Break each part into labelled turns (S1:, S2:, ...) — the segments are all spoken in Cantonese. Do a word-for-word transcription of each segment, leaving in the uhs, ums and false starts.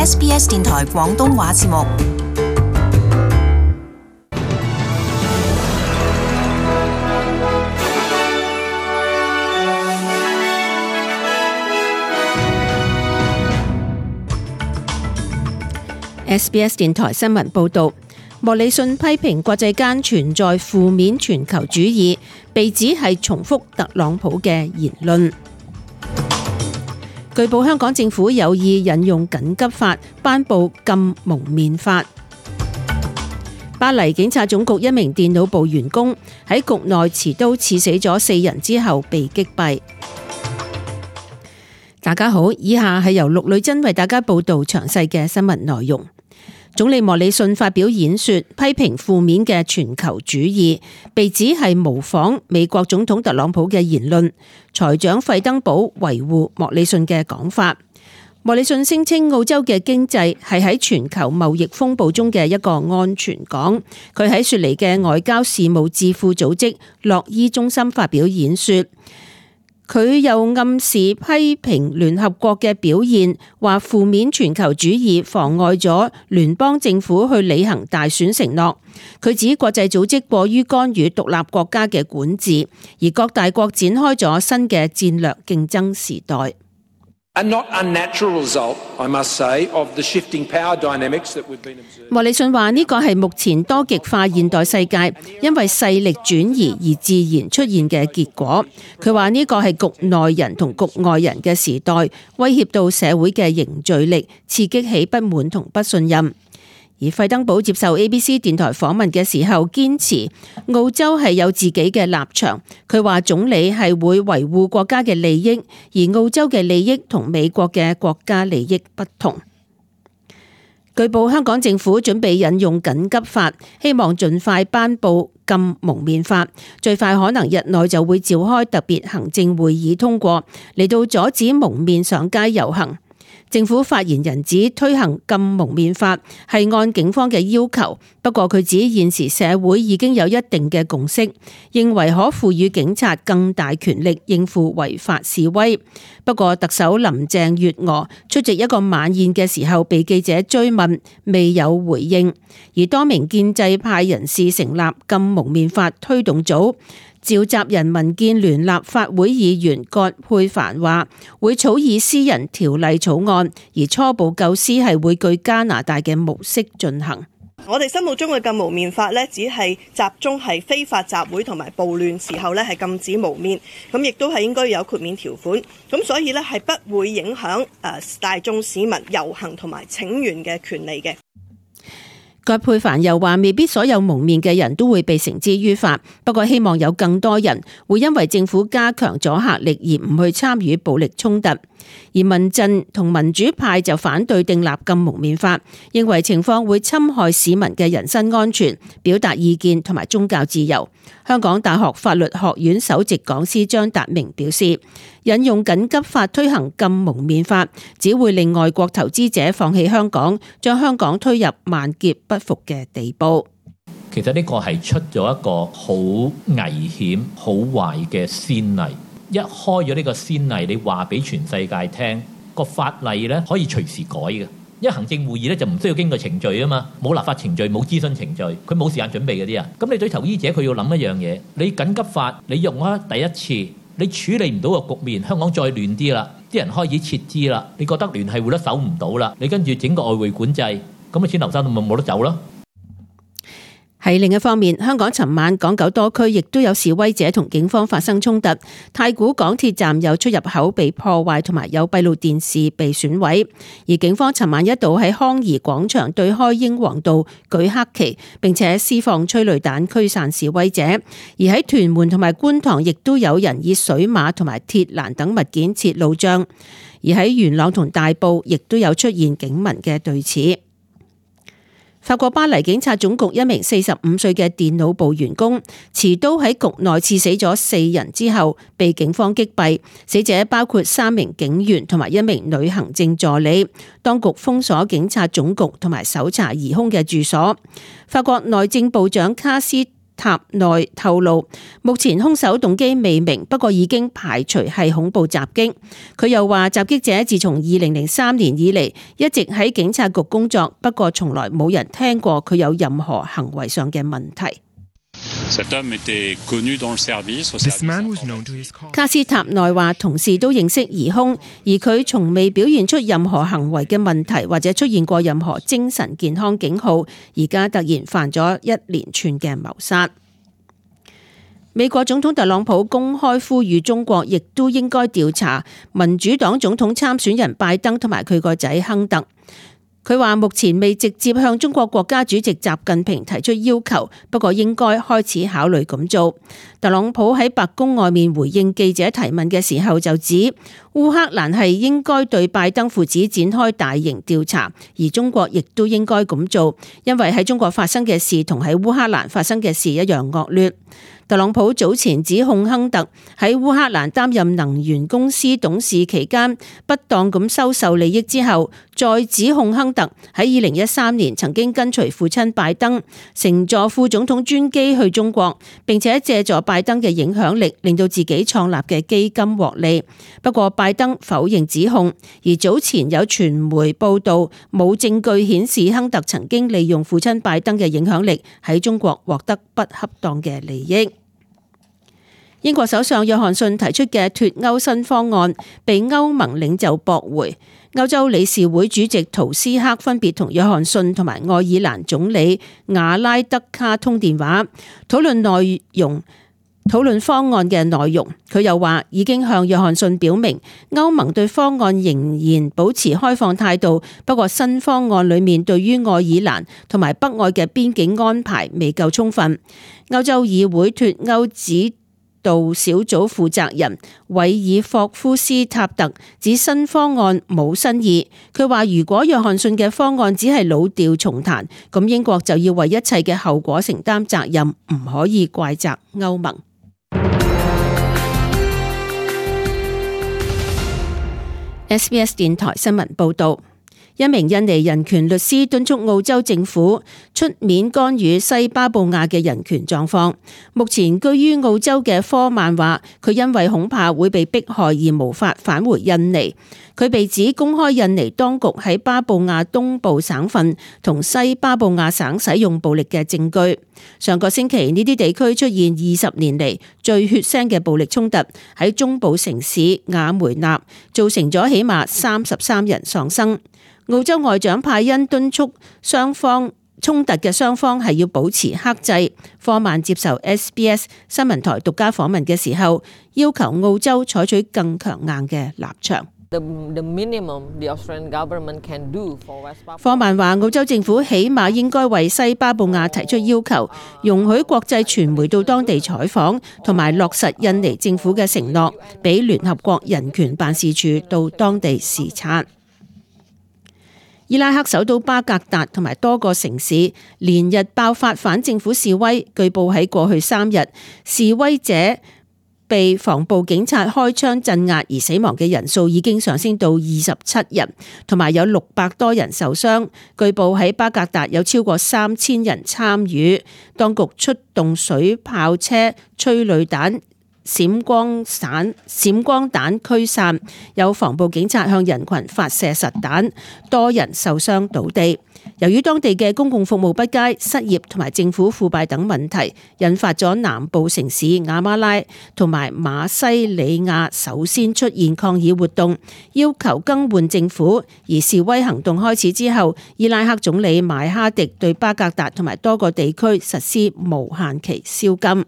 S1: S B S 電台廣東話節目。
S2: S B S 電台新聞報道，莫里遜批評國際間存在負面全球主義，被指係重複特朗普嘅言論。據報香港政府有意引用緊急法頒布禁蒙面法。巴黎警察總局一名電腦部員工喺局內持刀刺死咗四人之後被擊斃。大家好，以下係由陸女真為大家報道詳細嘅新聞內容。總理莫里遜發表演說，批評負面嘅全球主義，被指係模仿美國總統特朗普嘅言論。財長費登堡維護莫里遜嘅講法。莫里遜聲稱澳洲嘅經濟係喺全球貿易風暴中嘅一個安全港。佢喺雪梨嘅外交事務智庫組織洛伊中心發表演說。佢又暗示批評聯合國嘅表現，話負面全球主義妨礙咗聯邦政府去履行大選承諾。佢指國際組織過於干預獨立國家嘅管治，而各大國展開咗新嘅戰略競爭時代。莫里遜話呢個係目前多極化現代世界因為勢力轉移而自然出現嘅結果。佢話呢個係局內人同局外人嘅時代，威脅到社會嘅凝聚力，刺激起不滿同不信任。而費登堡接受 A B C 電台訪問嘅時候，堅持澳洲係有自己嘅立場。佢話總理係會維護國家嘅利益，而澳洲嘅利益同美國嘅國家利益不同。據報香港政府準備引用緊急法，希望盡快頒布禁蒙面法，最快可能日內就會召開特別行政會議通過，嚟到阻止蒙面上街遊行。政府發言人指推行禁蒙面法係按警方嘅要求，不過佢指現時社會已經有一定嘅共識，認為可賦予警察更大權力應付違法示威。不過特首林鄭月娥出席一個晚宴嘅時候被記者追問，未有回應。而多名建制派人士成立禁蒙面法推動組。召集人民建聯立法會議員葛珮帆話會草擬私人條例草案，而初步構思係會據加拿大嘅模式進行。
S3: 我哋心目中嘅禁蒙面法呢，只係集中係非法集會同埋暴亂時候呢係禁止蒙面，咁亦都係應該有豁免條款，咁所以呢係不會影響誒大眾市民遊行同埋請願嘅權利嘅。
S2: 葛珮帆又話未必所有蒙面嘅人都會被繩之於法，不過希望有更多人會因為政府加強阻嚇力而唔去參與暴力衝突。而民陣同民主派就反對訂立禁蒙面法，認為情況會侵害市民嘅人身安全、表達意見同埋宗教自由。香港大學法律學院首席講師張達明表示，引用緊急法推行禁蒙面法，只會令外國投資者放棄香港，將香港推入萬劫不復嘅地步。
S4: 其實呢個係出咗一個好危險、好壞嘅先例。一開咗呢個先例，你話俾全世界聽，個法例咧可以隨時改嘅。因為行政會議咧就唔需要經過程序啊嘛，冇立法程序，冇諮詢程序，佢冇時間準備嗰啲人。咁你對投資者佢要諗一樣嘢，你緊急法你用咗第一次，你處理唔到個局面，香港再亂啲啦，啲人開始撤資啦，你覺得聯繫匯率守唔到啦，你跟住整個外匯管制，咁啊錢流失咪冇得走咯。
S2: 喺另一方面，香港尋晚港九多區亦都有示威者同警方發生衝突，太古港鐵站有出入口被破壞，同埋有閉路電視被損毀。而警方尋晚一度喺康怡廣場對開英皇道舉黑旗，並且施放催淚彈驅散示威者。而喺屯門同埋觀塘亦都有人以水馬同埋鐵欄等物件設路障。而喺元朗同大埔亦都有出現警民嘅對峙。法國巴黎警察總局一名四十五歲嘅電腦部員工持刀喺局內刺死咗四人之後被警方擊斃，死者包括三名警員同埋一名女行政助理。當局封鎖警察總局同埋搜查疑兇嘅住所。法國內政部長卡斯塔內透露，目前兇手動機未明，不過已經排除係恐怖襲擊。佢又話，襲擊者自從二零零三年以嚟一直喺警察局工作，不過從來冇人聽過佢有任何行為上嘅問題。卡斯塔內話，同事都認識疑兇，而佢從未表現出任何行為嘅問題，或者出現過任何精神健康警號，而家突然犯咗一連串嘅謀殺。美國總統特朗普公開呼籲中國亦都應該調查民主黨總統參選人拜登同埋佢個仔亨特。佢話目前未直接向中國國家主席習近平提出要求，不過應該開始考慮咁做。特朗普喺白宮外面回應記者提問嘅時候就指，烏克蘭係應該對拜登父子展開大型調查，而中國亦都應該咁做，因為喺中國發生嘅事同喺烏克蘭發生嘅事一樣惡劣。特朗普早前指控亨特喺烏克蘭擔任能源公司董事期間不當咁收受利益之後，再指控亨特喺二零一三年曾經跟隨父親拜登乘坐副總統專機去中國，並且借助拜登嘅影響力令到自己創立嘅基金獲利。不過拜登否認指控，而早前有傳媒報道冇證據顯示亨特曾經利用父親拜登嘅影響力喺中國獲得不恰當嘅利益。英國首相約翰遜提出嘅脫歐新方案被歐盟領袖駁回。歐洲理事會主席圖斯克分別同約翰遜同埋愛爾蘭總理瓦拉德卡通電話，討論內容，討論方案嘅內容。佢又話已經向約翰遜表明，歐盟對方案仍然保持開放態度，不過新方案裡面對於愛爾蘭同埋北愛嘅邊境安排未夠充分。歐洲議會脫歐指道小組負責人韋爾霍夫斯塔特指新方案冇新意。佢話如果約翰遜嘅方案只係老調重彈，咁英國就要為一切嘅後果承擔責任，唔可以怪責歐盟。S B S 電台新聞報道。一名印尼人權律師敦促澳洲政府出面干預西巴布亞嘅人權狀況。目前居於澳洲嘅科曼話，佢因為恐怕會被迫害而無法返回印尼。佢被指公開印尼當局喺巴布亞東部省份同西巴布亞省使用暴力嘅證據。上個星期呢啲地區出現二十年嚟最血腥嘅暴力衝突，喺中部城市雅梅納造成咗起碼三十三人喪生。澳洲外長派恩敦促雙方衝突嘅雙方係要保持克制。科曼接受 S B S 新聞台獨家訪問嘅時候，要求澳洲採取更強硬嘅立場。科曼話，澳洲政府起碼應該為西巴布亞提出要求，容許國際傳媒到當地採訪，同埋落實印尼政府嘅承諾，俾聯合國人權辦事處到當地視察。伊拉克首都巴格達同埋多個城市連日爆發反政府示威，據報喺過去三日，示威者被防暴警察開槍鎮壓，而死亡嘅人數已經上升到二十七人，同埋有六百多人受傷。據報喺巴格達有超過三千人參與，當局出動水炮車、催淚彈、閃光彈、閃光彈驅散，有防暴警察向人群發射實彈，多人受傷倒地。由於當地嘅公共服務不佳、失業同埋政府腐敗等問題，引發咗南部城市亞馬拉同埋馬西里亞首先出現抗議活動，要求更換政府。而示威行動開始之後，伊拉克總理邁哈迪對巴格達同埋多個地區實施無限期宵禁。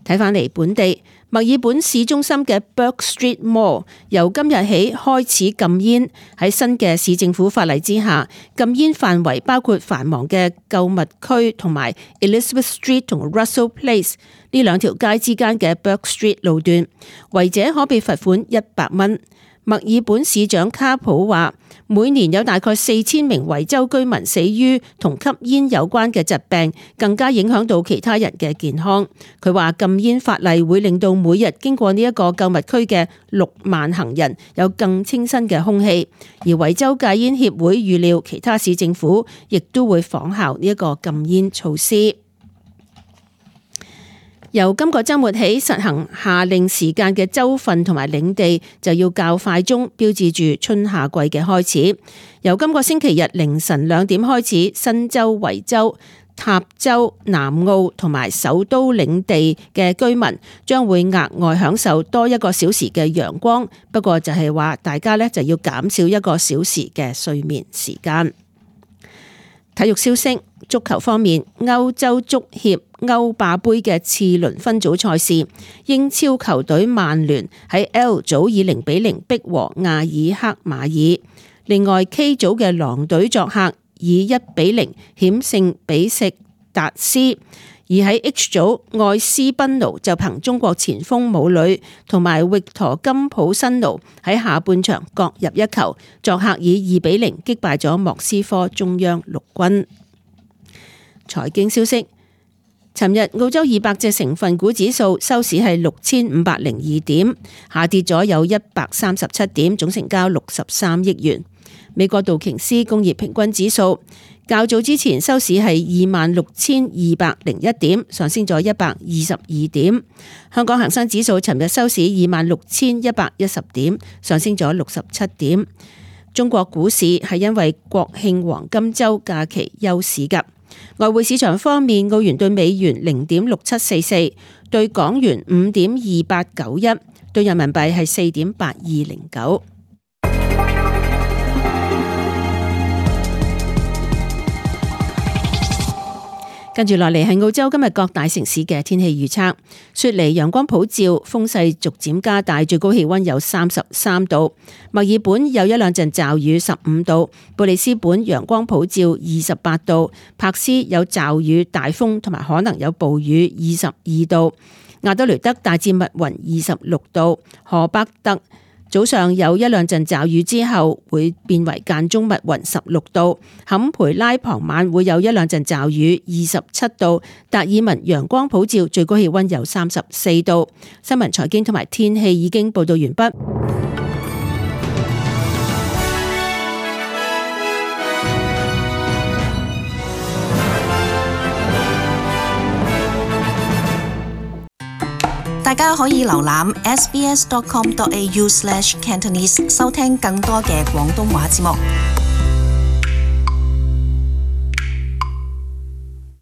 S2: 睇返嚟本地，墨爾本市中心嘅 Bourke Street Mall 由今日起開始禁煙。喺新嘅市政府法例之下，禁煙範圍包括繁忙嘅購物區同埋 Elizabeth Street 同 Russell Place 呢兩條街之間嘅 Bourke Street 路段，違者可被罰款一百蚊。墨爾本市長卡普話，每年有大概四千名維州居民死於同吸煙有關嘅疾病，更加影響到其他人嘅健康。佢話禁煙法例會令到每日經過呢一個購物區嘅六萬行人有更清新嘅空氣。而維州戒煙協會預料其他市政府亦都會仿效呢一個禁煙措施。由今個週末起實行夏令時間嘅州份同埋領地就要較快鐘，標誌住春夏季嘅開始。由今個星期日凌晨兩點開始，新州、維州、塔州、南澳同埋首都領地嘅居民將會額外享受多一個小時嘅陽光，不過就係話大家呢就要減少一個小時嘅睡眠時間。體育消息，足球方面，歐洲足協歐霸盃嘅次輪分組賽事，英超球隊曼聯喺 L 組以零比零逼和亞爾克馬爾。另外 K 組嘅狼隊作客以一比零險勝比錫達斯。而喺 H 組，愛斯賓奴就憑中國前鋒武磊同埋域陀金普辛奴喺下半場各入一球，作客以二比零擊敗咗莫斯科中央陸軍。財經消息，尋日澳洲二百隻成分股指數收市係六千五百零二點，下跌咗有一百三十七點，總成交六十三億元。美國道瓊斯工業平均指數較早之前收市係二萬六千二百零一點，上升咗一百二十二點。香港恒生指數尋日收市二萬六千一百一十點，上升咗六十七點。中國股市係因為國慶黃金週假期休市㗎。外匯市場方面，澳元對美元零點六七四四，對港元五點二八九一，對人民幣係四點八二零九。跟住落嚟係澳洲今日各大城市嘅天氣預測。雪梨陽光普照，風勢逐漸加大，最高氣溫有三十三度。墨爾本有一兩陣驟雨，十五度。布里斯本陽光普照，二十八度。柏斯有驟雨、大風同埋可能有暴雨，二十二度。亞德雷德大致密雲，二十六度。荷伯特早上有一兩陣驟雨之後會變為間中密雲，十六度。坎培拉傍晚會有一兩陣驟雨，二十七度。達爾文陽光普照，最高氣溫有三十四度。新聞財經同埋天氣已經報道完畢。
S1: 大家可以瀏覽 s b s dot com dot a u slash cantonese 收聽更多嘅廣東話節目。